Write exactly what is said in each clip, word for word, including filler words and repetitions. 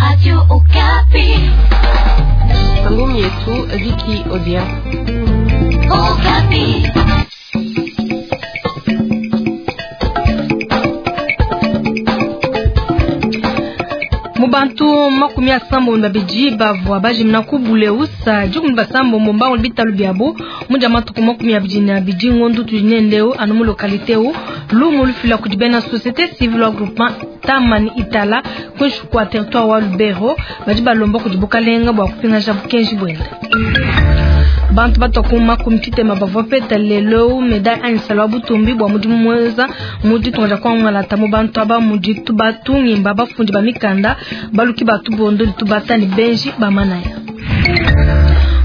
Radio Okapi. Ngumi yetu Vicky Odia. Okapi. Mubantu makumi asambo na babidi bavua bajimina ku buleusa dikumi basambombo mbango bitalu biabo mudia matuku makumi abidi na abidi ngondu tudi nendeu anu mu localité u lumu lufila kudi bena société civile wa groupement Tamani Itala kuinshi kua territoire wa Lubero badi balomba kudi bukalenga bua kupingaja bukenji buenda. Bantu batwa makumi tshitema bavua peta lelo médaille anisala wa butumbi bua mudimu muenza mu ditunga dia kuangalata mu bantu aba mudi tubatungimba bafundi ba mikanda baluki batubondo ditubata ne benji bamanaya.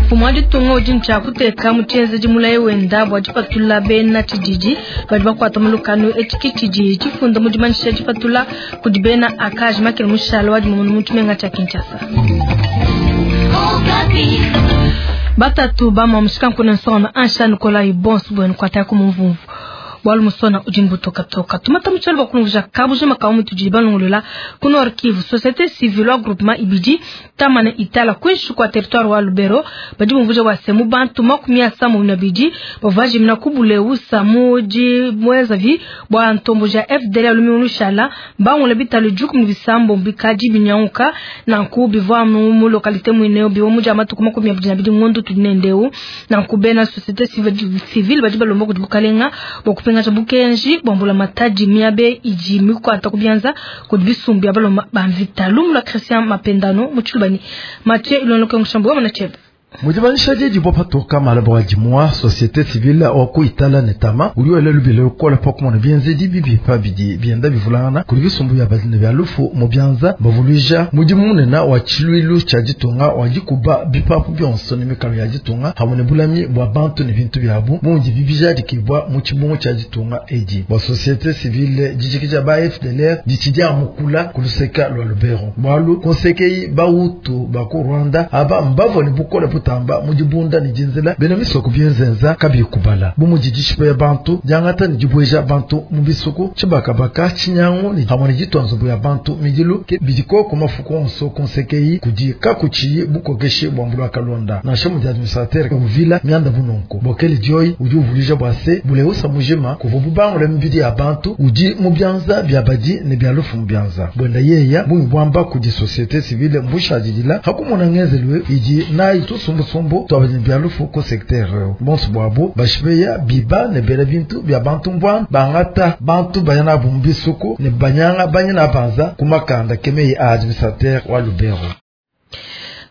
Mfumu wa ditunga udi ntshia kuteka mu tshienzedi mulayi wenda bua dipatula bena tshididi badi bakuata mu lukanu etshi tshidi tshifunda mu dimanyisha dipatula kudi bena akaji makele mushala wa dimomona mu tshimenga tshia Kinshasa. Batatu bama mushikanku nsona ansha Nikolai bonso bwenu kwata ku mumvumvu bwalu musona udi mbutokatoka tumata mutshalo bakulunguja kabuje makamu mutudi balongolola ku Nord Kivu société civile wa groupement ibidi tamane itala kwinshi kwa territoire wa Lubero badi bumvuja wase mu bantu makumi asambo na bidi bavajimina kubuleusa muji mwezavi bwa ntombo ja F D L lumiulushala bangula bitalo juku bisambo bikaji binyauka nanku bivwa mu localité mwineo biwo muja matuku makumi abidi na bidi ngondo tudinendeu nanku bena société civile badi balomba kudi bukalenga bwa kupenga bukenji bwambula matadi miabe iji mikwata kubyanza kudi bisumbi abaloma bamvita lumula Christian Mapendano muchulubani Mathieu Ilonloke Mushambo wa Chebe. Mudibanisha didi patoka malabo wa dimwa société civile wa ku Itala netama uli lubile ukola pa kumona bienzedi bibi pa bidi bienda bivulana kuli bisumbu bya badine bya lufu mu byanza bavuluija mudimu munene wa tshiluilu tshia ditunga wa dikuba bipapu bionso ne mikalo ya ditunga hamwe ne bulami bwa bantu ne bintu byabu mundi bibijadikibwa mu tshibungu tshia ditunga edi bwa société civile dijikija ba F D L R ditshidia mukula kuluseka lwa Lubero bwalu konsekei bautu ba ku Rwanda aba mbavo ne bukola tamba mudibunda ni jinzela bena misoko byenzenza kabi kubala bumujijishipa ya bantu jangata ni jibweja bantu mubisuku chibakabaka chinyangu ni hamwe jitwanzo ya bantu midilu ke bidiko kumafuko onso konsekei kudi kakuchi bukokeshe bwambulwa kalonda na shemu ya administrateur uvila mianda bunonko bokeli joy udi uvulija bwase buleusa mujima kuvubu bangule mbidi ya bantu udi mubyanza byabadi ne byalufu mubyanza bwenda yeya bumubwamba kudi société civile mbushajidila hakumona ngenzelwe idi nayi tusumbu sombo twabanye byalufu ko secteur bonso bwabo bashibeya biba ne bela bintu bya bantu mbwa bangata bantu bayana bumbisuku ne banyanga banyana banza kumakanda kemeye administrateur wa Lubero.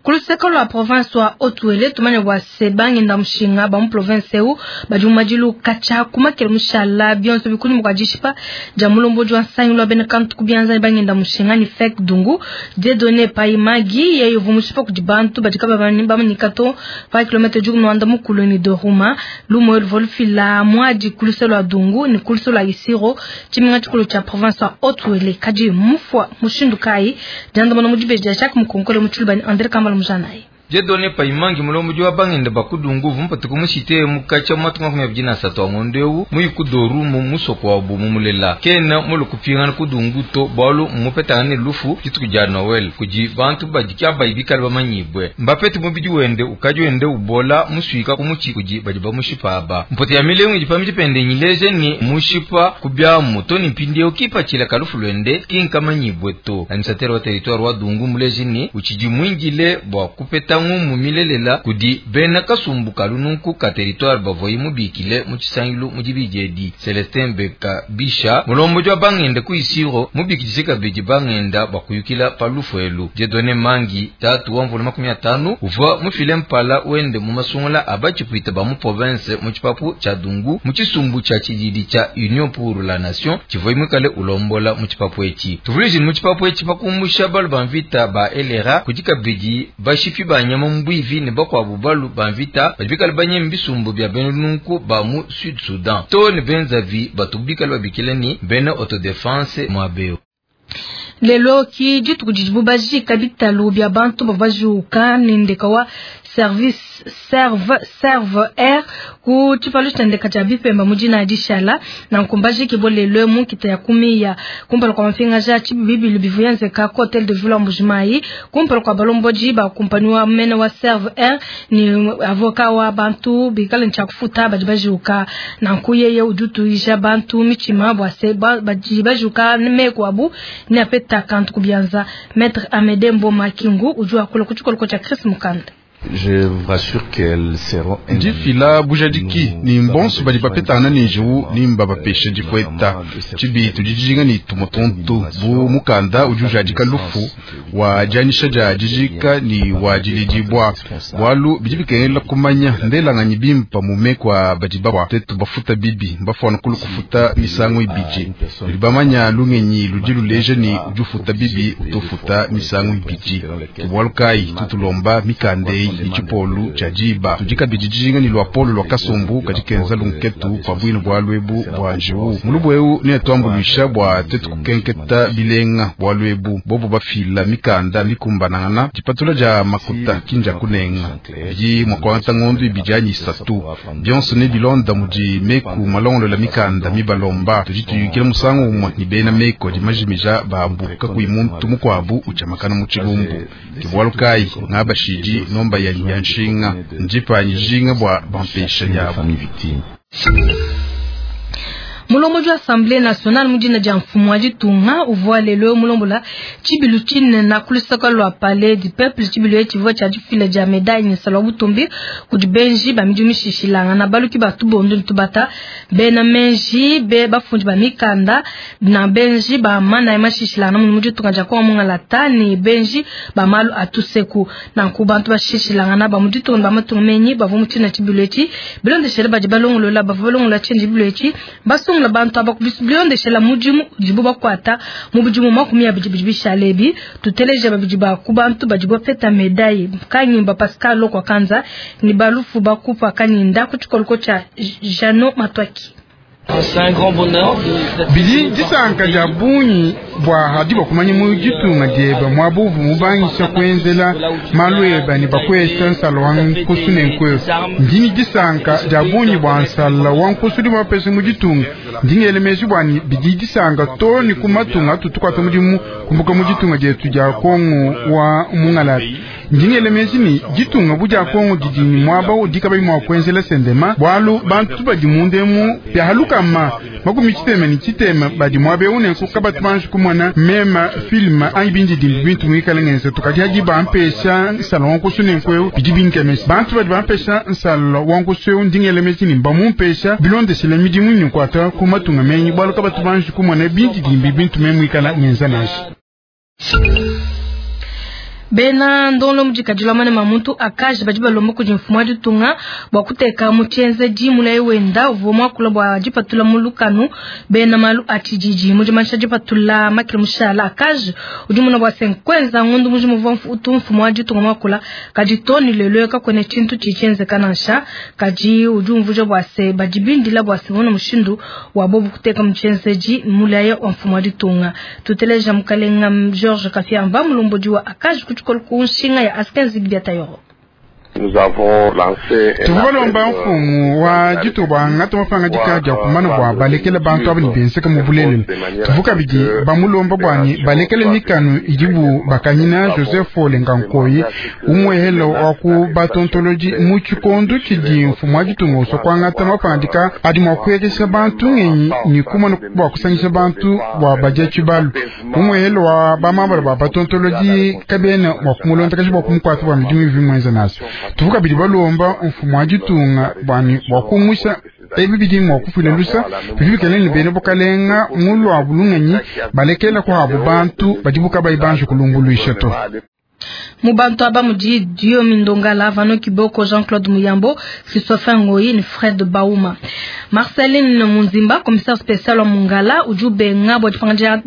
Kuluseka lwa province wa Otuele tumanya wa sebange ndamushinga ba mu province eu badi mumajilu kacha kumakele mushala bionso bikuni mukajishipa ja mulombo jwa nsangi lwa bene kantu kubyanza bange ndamushinga ni fake dungu Dieudonné Paimagi yeyo vumushipa kudi bantu badi kaba bamanyika to pa kilomètre jugu nwanda mukulu ni Doruma lumo volfila mwadi kuluse lwa dungu ni kuluse lwa Isiro chiminga chikulu cha province wa Otuele kaji mufwa mushindu kai janda mona mujibeja Jacques Mukonkole muchulubani André Kambala Mujanayi. Dieudonné Paimangi mulombo wa bangende bakudungu vumpatu kumushite mukacha matuka makumi abidi na satu angondeu muyikudoru mu musoko wa bu mumulela kena mulukupingana kudungu to bwalu mupetana lufu dituku dia Noel kudi bantu badi abayi bikale bamanyibwe mbapete mubidi wende ukaji wende ubola musuika kumuchi kudi badi bamushipa aba mpote ya milengo idi pamidi pende nyileje ni mushipa kubyamu to ni mpindieu kipachila kalufu lwende kinkamanyibwe to administrateur wa territoire wa dungu muleje ni uchidi mwingile bwa kupeta ngumu milelela kudi bena kasumbu kalununku ka territoire bavoyi mubikile mu tshisangilu mu dibijedi Celestin Beka Bisha mulombo jwa bangende ku Isiro mubikidise kabidi bangenda bakuyukila palufu elu Dieudonné Mangi tatu wa mvula makumi atanu uva mufile mpala wende mu masungula abachipuita ba mu province mu tshipapu tshia Dungu mu tshisumbu tshia tshididi tshia Union pour la Nation tshivoyi mwikale ulombola mu tshipapu etshi tuvulije mu tshipapu etshi pakumbusha balu ba mvita ba L R A kudi kabidi bashipi ba nyama mbwivi ne bakwabu balu ba mvita badi bikale banyemi bisumbu bya bena nunku ba mu Sud Sudan to ne benzavi batubikale babikile ni bena autodefense mwabeo. Lelo ki dituku didibu bajika bitalu bya bantu bavajuka ne ndeka wa Service Serve Serve Air ku tshipalu tshiendeka tshia bipemba mu dina dishala na nkumbaji kibolelwe mu nkita ya kumiya kumpala kwa mapingaja tshibibilu bivuyenzeka ku hotel de ville wa Mbujimayi kumpala kwa balomboji ba kumpani wa mene wa Serve Air ni avoka wa bantu bikale ntshakufuta badi bajuka na nkuyeye udutuisha bantu michima bwa se badi bajuka meko abu ni apeta kantu kubianza. Maître Amede Mboma Kingu ujua kula kuchikoloko cha Chris Mukanda. Je vous rassure qu'elles seront ndifila bujadiki ni mbonso badi bapetana ni njiwu ni mbabapesha difueta tshibi tudijinga ni tumotonto bu mukanda udi ujadika lufu wa dianyisha dia dijika ni wa dilidibwa bwalu bidi bikengela kumanya ndelanganyi bimpa mume kwa badi babwa tetu bafuta bibi mbafwana kulu kufuta misango ibidi ludi bamanya lungenyi ludi luleja ni udi ufuta bibi utofuta misango ibidi tubwalu kayi tutulomba mikandei ichipolu cha jiba tudikabidi dijinga ni lwa polo lwa kasumbu kadikenza lunketu pa bwino bwa lwebu bwa njiwu mulubu eu ne twambuluisha bwa tetu kukenketa bilenga bwa lwebu bobo bafila mikanda mikumbanangana dipatula dia makuta kinja kunenga bidi mwakwangata ngondu ibidi anyi isatu bionso ne bilonda mudi meku malongolola mikanda mibalomba tudi tuyukila musangu umwe ni bena meko dimajimija babu kakuyi muntu mukwabu uchamakana mu tshilumbu kibwalu kayi ngabashidi nomba ya yanshinga njipanyi jinga bwa bampesha yabo. Mulombo wa Assemblée nationale mudina dia mfumu wa ditunga uvua lelo mulombola tshibilu tshinene kulusaka lwa palais du peuple tshibilu etshivua tshia difila dia médaille ne salwa butumbi kudi benji ba midimu mishishilanga na baluki ba tubondo tubata bena menji be bafundi ba mikanda na benji ba mana ya mashishilanga mu ditunga dia kwa mungalata ni benji ba malu atuseku na ku bantu bashishilanga na ba mu ditunga ba matunga menyi bavua mutina tshibilu etshi bilondeshela badi balongolola bavua balongola tshibilu etshi basu la bantu abakubisilondeshela mudimu udibu bakwata mu budimu makumi abidi bidi bishalebi tuteleje babidi ba ku bantu badi bapeta medaille Kanyimba Pascal Lokwa Kanza ni balufu bakupa Kanyinda ku tshikoloko tshia Jano Matwaki. Bidi disanka dia bungi bwa hadi bakumanya mu ditunga dieba mwabuvu mubangisha kwenzela malu eba ni bakwesa nsala wa nkusu ne nkweyo ndini disanka dia bungi bwa nsala wa nkusu di bapesa mu ditunga ndingele meji bwani bidi disanka to ni ku matunga atutukwata mudimu kumbuka mu ditunga dietu dia Kongo wa mungalata ndingele meji ni ditunga bu dia Kongo didi ni mwaba udikabai mwa kwenzela sendema bwalu bantu badi mundemu byahaluka kama makumi chitema ni chitema badi mwabe une kukabatu banju kumwana mema filma anyi bindi dimbi bintu mwikale ngenze tukadi hadi bampesha nsala wankusu ne nkweu bidi binkemesi bantu badi bampesha nsala wankusu eu ndingele mesi ni bamumpesha bilondesele midimu nyukwata kumatunga menyi bwalu kabatu banju kumwana bindi dimbi bintu memwikala ngenza nashi. Bena ndonlo mujikadilwa mane mamuntu akaje badi balomba kudi mfumu wa ditunga bwa kuteka mutshienze dimula wenda uvua muakula bwa dipatula mu lukanu bena malu a tshididi mudimanisha dipatula makile mushala akaje udi muna bwa senkwenza ngondu muji muvua utu mfumu wa ditunga muakula kadi toni lelo kakwene tshintu tshitshienzeka nansha kadi udi umvuja bwa se badi bindila bwa se bona mushindu wa bobu kuteka mutshienze dimulaye wa mfumu wa ditunga tuteleja mukalenga George Kafiamba mulombodi wa akaje kunshinga ya askenzi biatayoro. Tuvalomba mfumu wa dituba ngata mafanga dika dia kumana bwa balekele bantu abani benseka mu bulelela tuvuka bidi bamulomba bwani balekele mikanu idibu bakanyina Joseph Olengankoyi umwehelo wa ku batontoloji mu tshikondo tshidi mfumu wa ditunga usokwa ngata mafanga dika adi mwa kuyegesha bantu ngenyi ni kumana bwa kusangisha bantu bwa badia tshibalu umwehelo wa bamambala ba batontoloji kabena mwa kumulonda kashi bwa kumukwata bwa midimu ivimwenza naso tuvuka bidi balomba mfumu wa ditunga bwani bwa kumusha ebi bidi mwa kufila lusa bidi ni bene bukalenga mulwa bulunganyi balekela kwa abo bantu badibuka baibanje kulumbuluisha to. Mubantu aba mudi Dio Mindongala Vano Kiboko Jean-Claude Muyambo Christopher Ngoyi ni Fred Bauma Marceline Munzimba commissaire spécial wa Mungala ujube ngabo dipanganja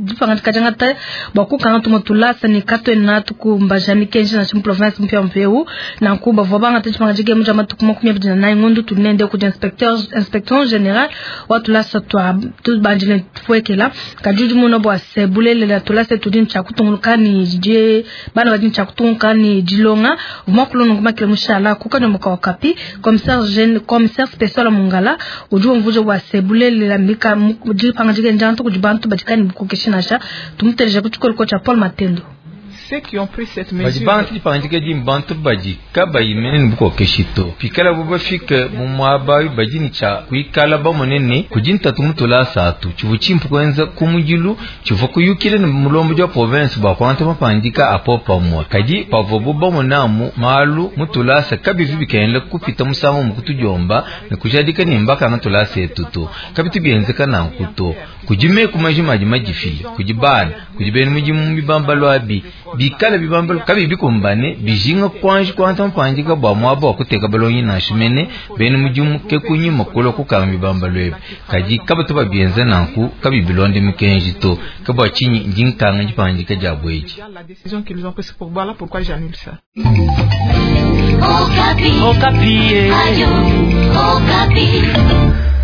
jangata bwa tumotula sani katwe na tukumba mikenji na chimu province mpya mpeu na nkuba vobanga dipanganja gemu jama tukumakumi abidi na nai ngondu tunende ku inspecteur inspecteur général wa tulasa twa tubanjile tuwekela kajuju muno bwa sebulele la tulasa tudin cha kutunguluka ni je bana badin cha kutunguka ne dilonga uvua kulonga ngumakile mushala ku kanyomboka wa Kapi. Commissaire jeune commissaire spécial wa Mongala udi umvuja bua se bulelela mika dipangadika njantu kudi bantu badi kayi ne bukokeshi nansha. Tumuteleja ku tshikoliko tshia Paul Matendo. Badi bantu dipangadika di bantu badi kabayi mene ne bukokeshi to pikala bo bafike mu muaba badi ne tshia kuikala bamone ne kudi ntatu mutulasa atu tshivua tshimpe kuenza ku mudilu tshivua kuyukila ne mulombodi wa province bua kuangata mapangadika apo pamue. Kadi pavuabu bamonamu malu mutulasa kabivi bikengela kupita musangu mu kutudiomba ne kujadika ne mbakanga tulasa etu to kabitu bienzeka nanku to. Kudi meku majima adi madifile kudi bana kudi bena mudimu bibambalo abi bikala bibambalo kabi bikumbane bijinga kwanji kuangata mapangadika bua muaba wa kuteka balongi nansha mene bena mudimu ke kunyima kulua kukanga bibambalo ebi. Kadi kabatu babienza nanku kabi bilonde mikenji to ke bua tshinyi ndi nkanga dipangadika dia buedi. Okapi. Okapi. Radio Okapi.